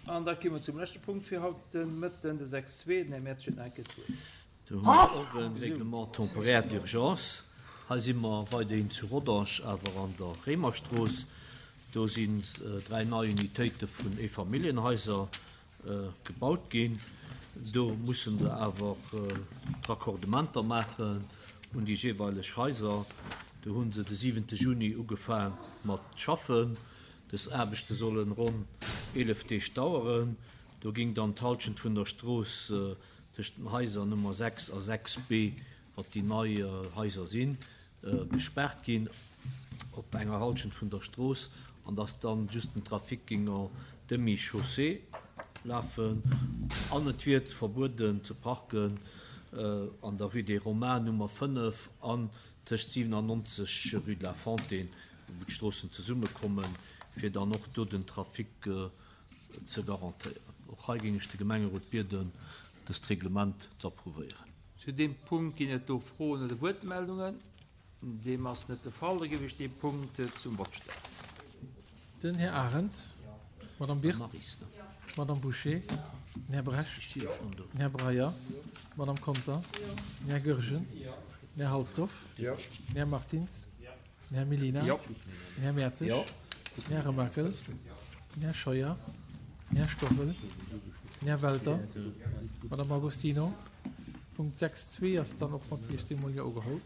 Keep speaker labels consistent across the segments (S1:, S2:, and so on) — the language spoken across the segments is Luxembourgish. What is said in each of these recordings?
S1: An da komme mer zum leschte Punkt fir haut de Mëtten, de 6.2. Den Här Mertz huet nach eng Kéier d'Wuert.
S2: Do hu mer och e Règlement temporaire d'urgence. Hei si mer weiderhin zu Rodange, awer an der Réimerstrooss. Do sinn 3 nei Unitéite vun Eefamilljenhaiser gebaut ginn. Do musse se awer d'Raccordementer maachen un déi jeeweileg Haiser. Do hu se de siwente Juni ugefaang mat schaffen. Dës Aarbechte sollen ronn 11 Deeg daueren. Do géing dann d'Hallschent vun der Strooss tëscht den Haiser Nummer 6 a 6 B, wat déi nei Haiser sinn, gespaart ginn op enger Hallschent vun der Strooss an dass dann just den Trafic géing en demi-chaussée lafen an et wier verbueden ze parken an der Rue des Romains Nummer 5 an tëscht 97 Rue de la Fontaine, wou d'Stroossen zesummekommen, fir dann och do den Trafic ze garantéieren. Och hei géing ech de Gemengerot bieden, dëst Reglement ze approuvéieren.
S1: Zu deem Punkt ginn et do Froen oder Wuertmeldungen? Deem ass net de Fall. Da géif ech dee Punkt zum Vott stellen.
S3: Den Här Arendt, d'Madame Birtz, d'Madame Bouché, den Här Brecht, den Här Breyer, d'Madame Conter, den Här Goergen, den Här Halsdorf, den Här Martins, Den Här Mellina. Den Här Mertzig. Den Här Remakel. Den Här Scheuer. Den Här Stoffel. Den Här Welter. D'Madame Agostino. Punkt 6.2 ass dann och mat 16 mol Jo ugeholl.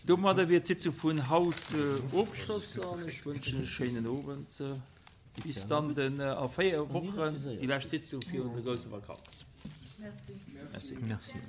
S1: Domadder wier d'Sitzung vun haut ofgeschloss an ech wënschen e schéinen Owend. Bis dann den a 4 Wochen, déi lescht Sitzung virun der grousser Vakanz.
S2: Merci. Merci.